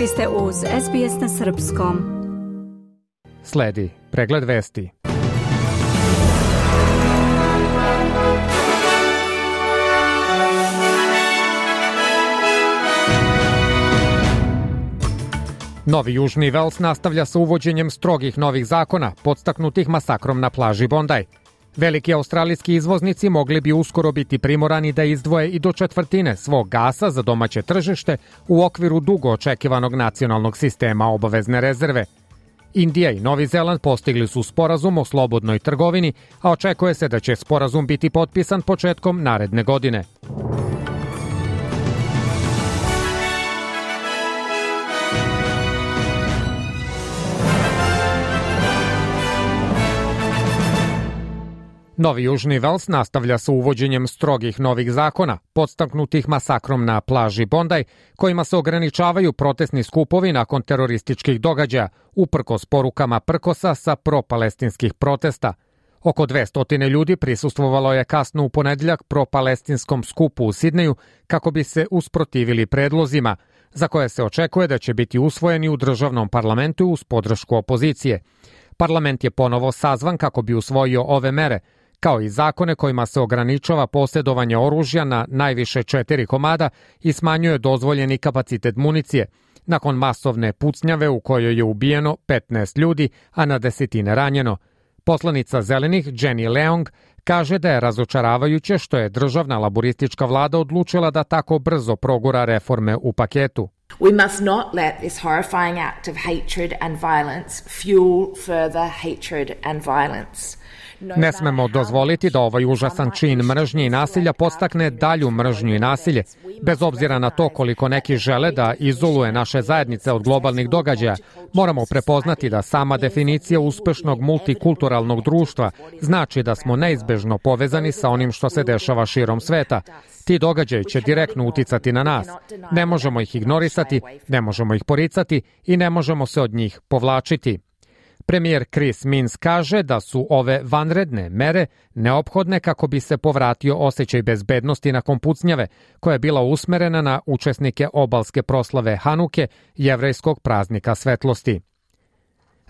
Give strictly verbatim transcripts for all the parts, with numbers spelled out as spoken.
Vi ste uz S B S na srpskom. Sledi pregled vesti. Novi Južni Vels nastavlja sa uvođenjem strogih novih zakona, podstaknutih masakrom na plaži Bondi. Veliki australijski izvoznici mogli bi uskoro biti primorani da izdvoje i do četvrtine svog gasa za domaće tržište u okviru dugo očekivanog nacionalnog sistema obavezne rezerve. Indija i Novi Zeland postigli su sporazum o slobodnoj trgovini, a očekuje se da će sporazum biti potpisan početkom naredne godine. Novi Južni Vels nastavlja sa uvođenjem strogih novih zakona, podstaknutih masakrom na plaži Bondi, kojima se ograničavaju protestni skupovi nakon terorističkih događaja, uprkos porukama prkosa sa propalestinskih protesta. Oko dvesta ljudi prisustvovalo je kasno u ponedeljak propalestinskom skupu u Sidneju kako bi se usprotivili predlozima, za koje se očekuje da će biti usvojeni u državnom parlamentu uz podršku opozicije. Parlament je ponovo sazvan kako bi usvojio ove mere, kao i zakone kojima se ograničava posjedovanje oružja na najviše četiri komada i smanjuje dozvoljeni kapacitet municije, nakon masovne pucnjave u kojoj je ubijeno petnaest ljudi, a na desetine ranjeno. Poslanica Zelenih Jenny Leong kaže da je razočaravajuće što je državna laboristička vlada odlučila da tako brzo progura reforme u paketu. We must not let this horrifying act of hatred and violence fuel further hatred and violence. Ne smemo dozvoliti da ovaj užasan čin mržnje i nasilja podstakne dalju mržnju i nasilje. Bez obzira na to koliko neki žele da izoluje naše zajednice od globalnih događaja, moramo prepoznati da sama definicija uspešnog multikulturalnog društva znači da smo neizbežno povezani sa onim što se dešava širom sveta. Ti događaji će direktno uticati na nas. Ne možemo ih ignorisati, ne možemo ih poricati i ne možemo se od njih povlačiti. Premijer Chris Minns kaže da su ove vanredne mere neophodne kako bi se povratio osjećaj bezbednosti nakon pucnjave, koja je bila usmerena na učesnike obalske proslave Hanuke, jevrejskog praznika svetlosti.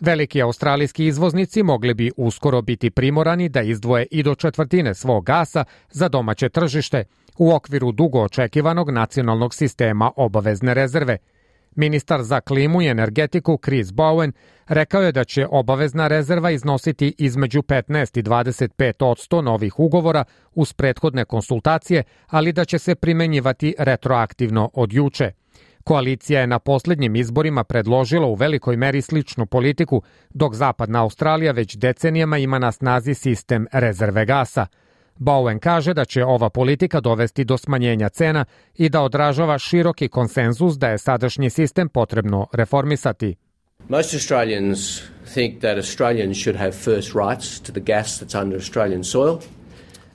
Veliki australijski izvoznici mogli bi uskoro biti primorani da izdvoje i do četvrtine svog gasa za domaće tržište u okviru dugo očekivanog nacionalnog sistema obavezne rezerve. Ministar za klimu i energetiku Chris Bowen rekao je da će obavezna rezerva iznositi između petnaest i dvadeset pet posto novih ugovora uz prethodne konsultacije, ali da će se primenjivati retroaktivno od juče. Koalicija je na posljednjim izborima predložila u velikoj meri sličnu politiku, dok Zapadna Australija već decenijama ima na snazi sistem rezerve gasa. Bowen kaže da će ova politika dovesti do smanjenja cena i da odražava široki konsenzus da je sadašnji sistem potrebno reformisati. Most Australians think that Australians should have first rights to the gas that's under Australian soil.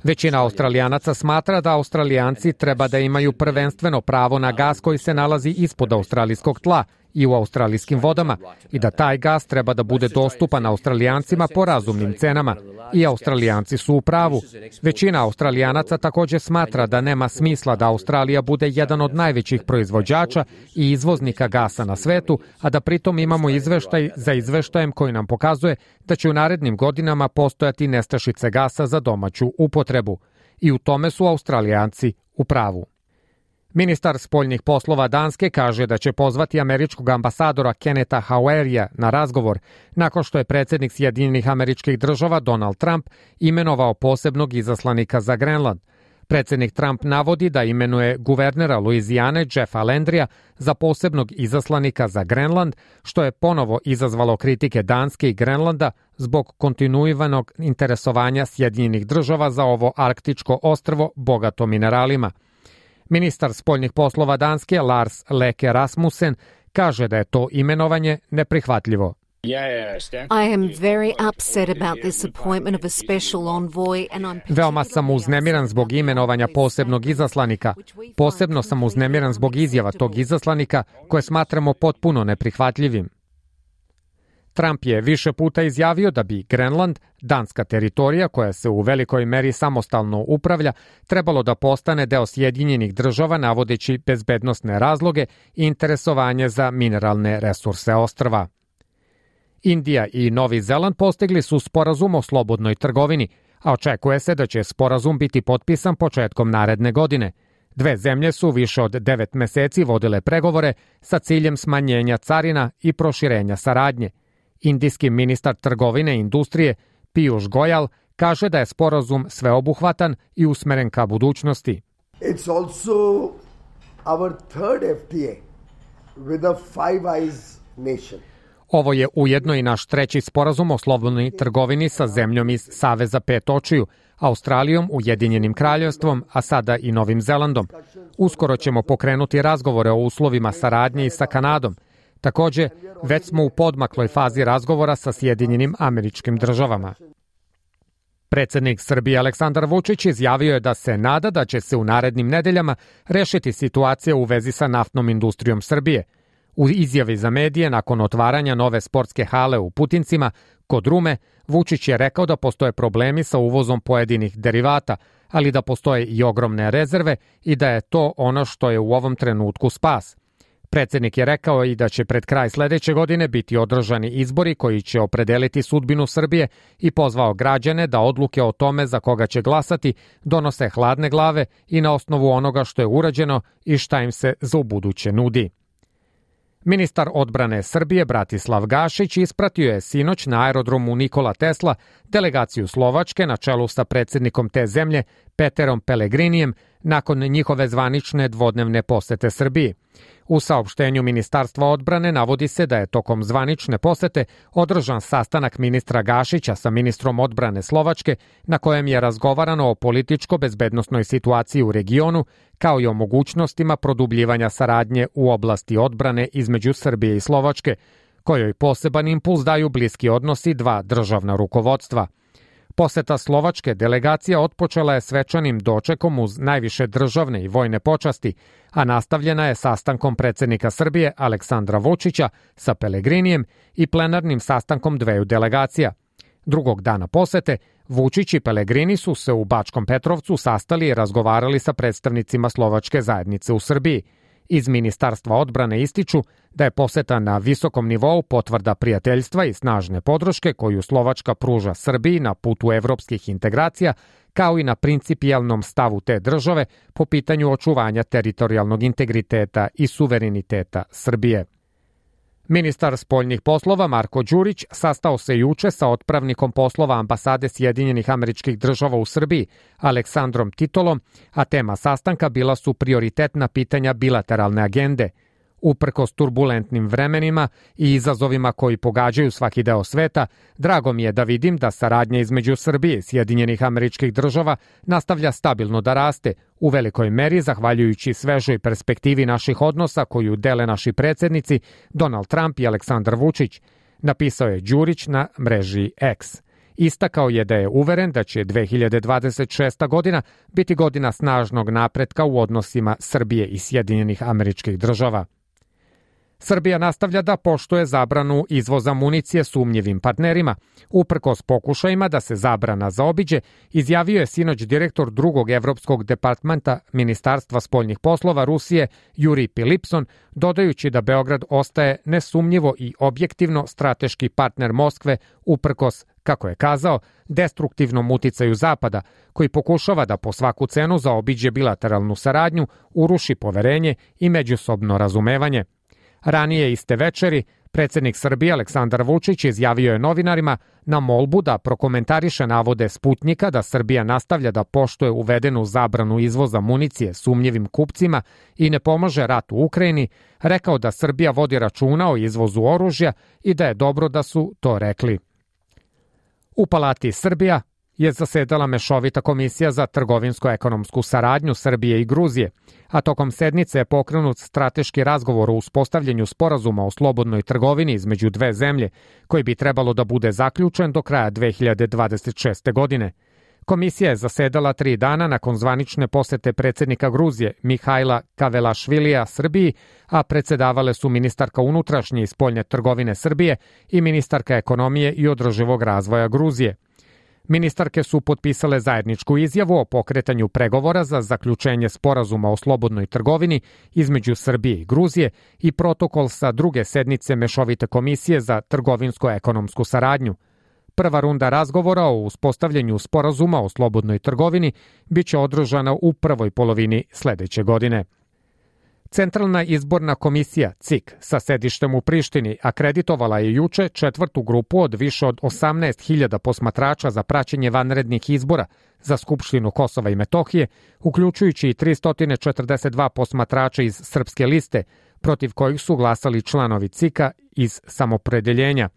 Većina Australijanaca smatra da Australijanci treba da imaju prvenstveno pravo na gas koji se nalazi ispod australijskog tla i u australijskim vodama i da taj gas treba da bude dostupan Australijancima po razumnim cenama. I Australijanci su u pravu. Većina Australijanaca također smatra da nema smisla da Australija bude jedan od najvećih proizvođača i izvoznika gasa na svetu, a da pritom imamo izveštaj za izveštajem koji nam pokazuje da će u narednim godinama postojati nestašice gasa za domaću upotrebu. I u tome su Australijanci u pravu. Ministar spoljnih poslova Danske kaže da će pozvati američkog ambasadora Kennetha Hauerija na razgovor nakon što je predsjednik Sjedinjenih Američkih Država Donald Trump imenovao posebnog izaslanika za Grenland. Predsjednik Trump navodi da imenuje guvernera Luizijane Jeffa Landrya za posebnog izaslanika za Grenland, što je ponovo izazvalo kritike Danske i Grenlanda zbog kontinuiranog interesovanja Sjedinjenih Država za ovo arktičko ostrvo bogato mineralima. Ministar spoljnih poslova Danske Lars Løkke Rasmussen kaže da je to imenovanje neprihvatljivo. I am very upset about this appointment of a special envoy and I'm Veoma sam uznemiran zbog imenovanja posebnog izaslanika. Posebno sam uznemiran zbog izjava tog izaslanika koje smatramo potpuno neprihvatljivim. Trump je više puta izjavio da bi Grenland, danska teritorija koja se u velikoj meri samostalno upravlja, trebalo da postane deo Sjedinjenih država navodeći bezbednosne razloge i interesovanje za mineralne resurse ostrva. Indija i Novi Zeland postigli su sporazum o slobodnoj trgovini, a očekuje se da će sporazum biti potpisan početkom naredne godine. Dve zemlje su više od devet meseci vodile pregovore sa ciljem smanjenja carina i proširenja saradnje. Indijski ministar trgovine i industrije Piyush Goyal kaže da je sporazum sveobuhvatan i usmeren ka budućnosti. It's also our third F T A with a Five Eyes nation. Ovo je ujedno i naš treći sporazum o slobodnoj trgovini sa zemljom iz Saveza pet očiju, Australijom, Ujedinjenim kraljevstvom, a sada i Novim Zelandom. Uskoro ćemo pokrenuti razgovore o uslovima saradnje i sa Kanadom. Takođe, već smo u podmakloj fazi razgovora sa Sjedinjenim Američkim Državama. Predsednik Srbije Aleksandar Vučić izjavio je da se nada da će se u narednim nedeljama rešiti situacija u vezi sa naftnom industrijom Srbije. U izjavi za medije nakon otvaranja nove sportske hale u Putincima, kod Rume, Vučić je rekao da postoje problemi sa uvozom pojedinih derivata, ali da postoje i ogromne rezerve i da je to ono što je u ovom trenutku spas. Predsednik je rekao i da će pred kraj sledeće godine biti održani izbori koji će opredeliti sudbinu Srbije i pozvao građane da odluke o tome za koga će glasati donose hladne glave i na osnovu onoga što je urađeno i šta im se za ubuduće nudi. Ministar odbrane Srbije Bratislav Gašić ispratio je sinoć na aerodromu Nikola Tesla delegaciju Slovačke na čelu sa predsednikom te zemlje Peterom Pellegrinijem nakon njihove zvanične dvodnevne posete Srbiji. U saopštenju Ministarstva odbrane navodi se da je tokom zvanične posete održan sastanak ministra Gašića sa ministrom odbrane Slovačke na kojem je razgovarano o političko-bezbednosnoj situaciji u regionu kao i o mogućnostima produbljivanja saradnje u oblasti odbrane između Srbije i Slovačke, kojoj poseban impuls daju bliski odnosi dva državna rukovodstva. Poseta slovačke delegacija otpočela je svečanim dočekom uz najviše državne i vojne počasti, a nastavljena je sastankom predsednika Srbije Aleksandra Vučića sa Pellegrinijem i plenarnim sastankom dveju delegacija. Drugog dana posete, Vučić i Pellegrini su se u Bačkom Petrovcu sastali i razgovarali sa predstavnicima slovačke zajednice u Srbiji. Iz Ministarstva odbrane ističu da je poseta na visokom nivou potvrda prijateljstva i snažne podrške koju Slovačka pruža Srbiji na putu evropskih integracija, kao i na principijelnom stavu te države po pitanju očuvanja teritorijalnog integriteta i suvereniteta Srbije. Ministar spoljnih poslova Marko Đurić sastao se juče sa otpravnikom poslova ambasade Sjedinjenih Američkih Država u Srbiji, Aleksandrom Titolom, a tema sastanka bila su prioritetna pitanja bilateralne agende. Uprkos turbulentnim vremenima i izazovima koji pogađaju svaki deo sveta, drago mi je da vidim da saradnja između Srbije i Sjedinjenih Američkih Država nastavlja stabilno da raste, u velikoj meri zahvaljujući svežoj perspektivi naših odnosa koju dele naši predsednici Donald Trump i Aleksandar Vučić, napisao je Đurić na mreži X. Istakao je da je uveren da će dve hiljade dvadeset šesta godina biti godina snažnog napretka u odnosima Srbije i Sjedinjenih Američkih Država. Srbija nastavlja da poštuje zabranu izvoza municije sumnjivim partnerima. Uprkos pokušajima da se zabrana zaobiđe, izjavio je sinoć direktor drugog evropskog departmenta Ministarstva spoljnih poslova Rusije Juri Pilipson, dodajući da Beograd ostaje nesumnjivo i objektivno strateški partner Moskve uprkos, kako je kazao, destruktivnom uticaju Zapada, koji pokušava da po svaku cenu zaobiđe bilateralnu saradnju, uruši poverenje i međusobno razumevanje. Ranije iste večeri, predsednik Srbije Aleksandar Vučić izjavio je novinarima na molbu da prokomentariše navode Sputnjika da Srbija nastavlja da poštuje uvedenu zabranu izvoza municije sumnjivim kupcima i ne pomaže ratu u Ukrajini, rekao da Srbija vodi računa o izvozu oružja i da je dobro da su to rekli. U Palati Srbija je zasedala mešovita komisija za trgovinsko-ekonomsku saradnju Srbije i Gruzije, a tokom sednice je pokrenut strateški razgovor o uspostavljanju sporazuma o slobodnoj trgovini između dve zemlje, koji bi trebalo da bude zaključen do kraja dve hiljade dvadeset šeste. godine. Komisija je zasedala tri dana nakon zvanične posete predsjednika Gruzije Mihajla Kavelašvilija Srbiji, a predsedavale su ministarka unutrašnje i spoljne trgovine Srbije i ministarka ekonomije i održivog razvoja Gruzije. Ministarke su potpisale zajedničku izjavu o pokretanju pregovora za zaključenje sporazuma o slobodnoj trgovini između Srbije i Gruzije i protokol sa druge sednice Mešovite komisije za trgovinsko-ekonomsku saradnju. Prva runda razgovora o uspostavljanju sporazuma o slobodnoj trgovini biće održana u prvoj polovini sledeće godine. Centralna izborna komisija C I K sa sedištem u Prištini akreditovala je juče četvrtu grupu od više od osamnaest hiljada posmatrača za praćenje vanrednih izbora za Skupštinu Kosova i Metohije, uključujući i tristo četrdeset dva posmatrača iz Srpske liste, protiv kojih su glasali članovi C I K-a iz samopredeljenja.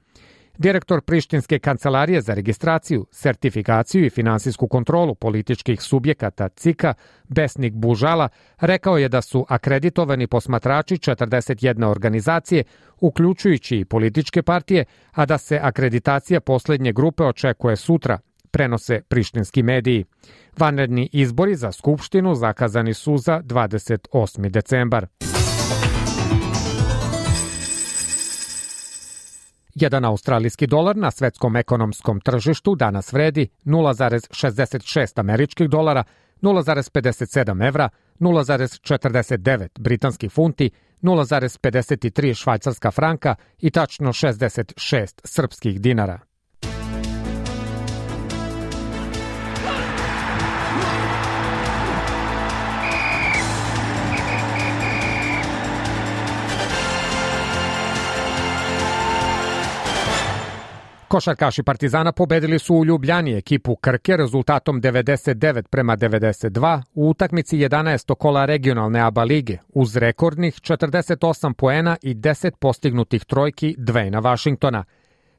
Direktor Prištinske kancelarije za registraciju, sertifikaciju i finansijsku kontrolu političkih subjekata C I K-a, Besnik Bužala, rekao je da su akreditovani posmatrači četrdeset jedne organizacije, uključujući i političke partije, a da se akreditacija poslednje grupe očekuje sutra, prenose prištinski mediji. Vanredni izbori za Skupštinu zakazani su za dvadeset osmi decembar. Jedan australijski dolar na svetskom ekonomskom tržištu danas vredi nula zarez šezdeset šest američkih dolara, nula zarez pedeset sedam evra, nula zarez četrdeset devet britanskih funti, nula zarez pedeset tri švajcarska franka i tačno šezdeset šest srpskih dinara. Košarkaši Partizana pobedili su u Ljubljani ekipu Krke rezultatom devedeset devet prema devedeset dva u utakmici jedanaestog kola regionalne A B A lige uz rekordnih četrdeset osam poena i deset postignutih trojki Dwayna Washingtona.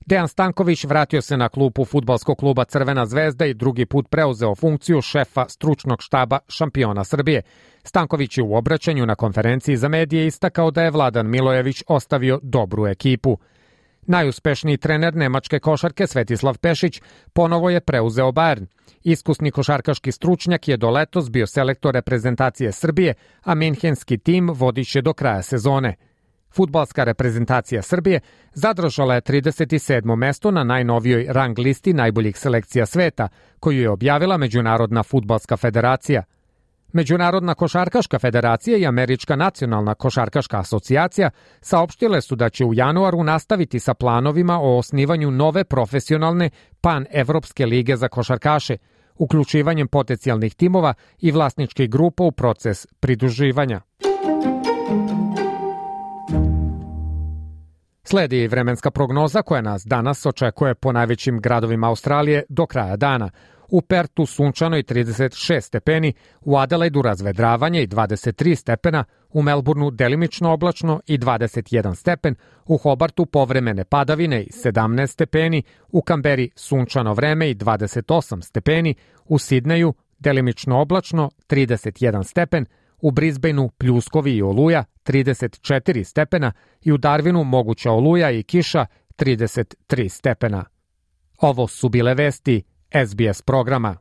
Dejan Stanković vratio se na klupu fudbalskog kluba Crvena zvezda i drugi put preuzeo funkciju šefa stručnog štaba šampiona Srbije. Stanković je u obraćanju na konferenciji za medije istakao da je Vladan Milojević ostavio dobru ekipu. Najuspešniji trener nemačke košarke Svetislav Pešić ponovo je preuzeo Bayern. Iskusni košarkaški stručnjak je do letos bio selektor reprezentacije Srbije, a minhenski tim vodiće do kraja sezone. Fudbalska reprezentacija Srbije zadržala je trideset sedmo mesto na najnovijoj rang listi najboljih selekcija sveta, koju je objavila Međunarodna fudbalska federacija. Međunarodna košarkaška federacija i Američka nacionalna košarkaška asocijacija saopštile su da će u januaru nastaviti sa planovima o osnivanju nove profesionalne pan-evropske lige za košarkaše, uključivanjem potencijalnih timova i vlasničkih grupa u proces pridruživanja. Sledi vremenska prognoza koja nas danas očekuje po najvećim gradovima Australije do kraja dana. U Pertu sunčano i trideset šest stepeni, u Adelaidu razvedravanje i dvadeset tri stepena, u Melbourneu delimično oblačno i dvadeset jedan stepen, u Hobartu povremene padavine i sedamnaest stepeni, u Kamberi sunčano vreme i dvadeset osam stepeni, u Sidneju delimično oblačno trideset jedan stepen, u Brisbaneu pljuskovi i oluja trideset četiri stepena i u Darwinu moguća oluja i kiša trideset tri stepena. Ovo su bile vesti S B S programa.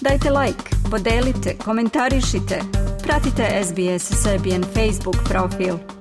Dajte like, podelite, komentarišite. Pratite S B S Serbian Facebook profil.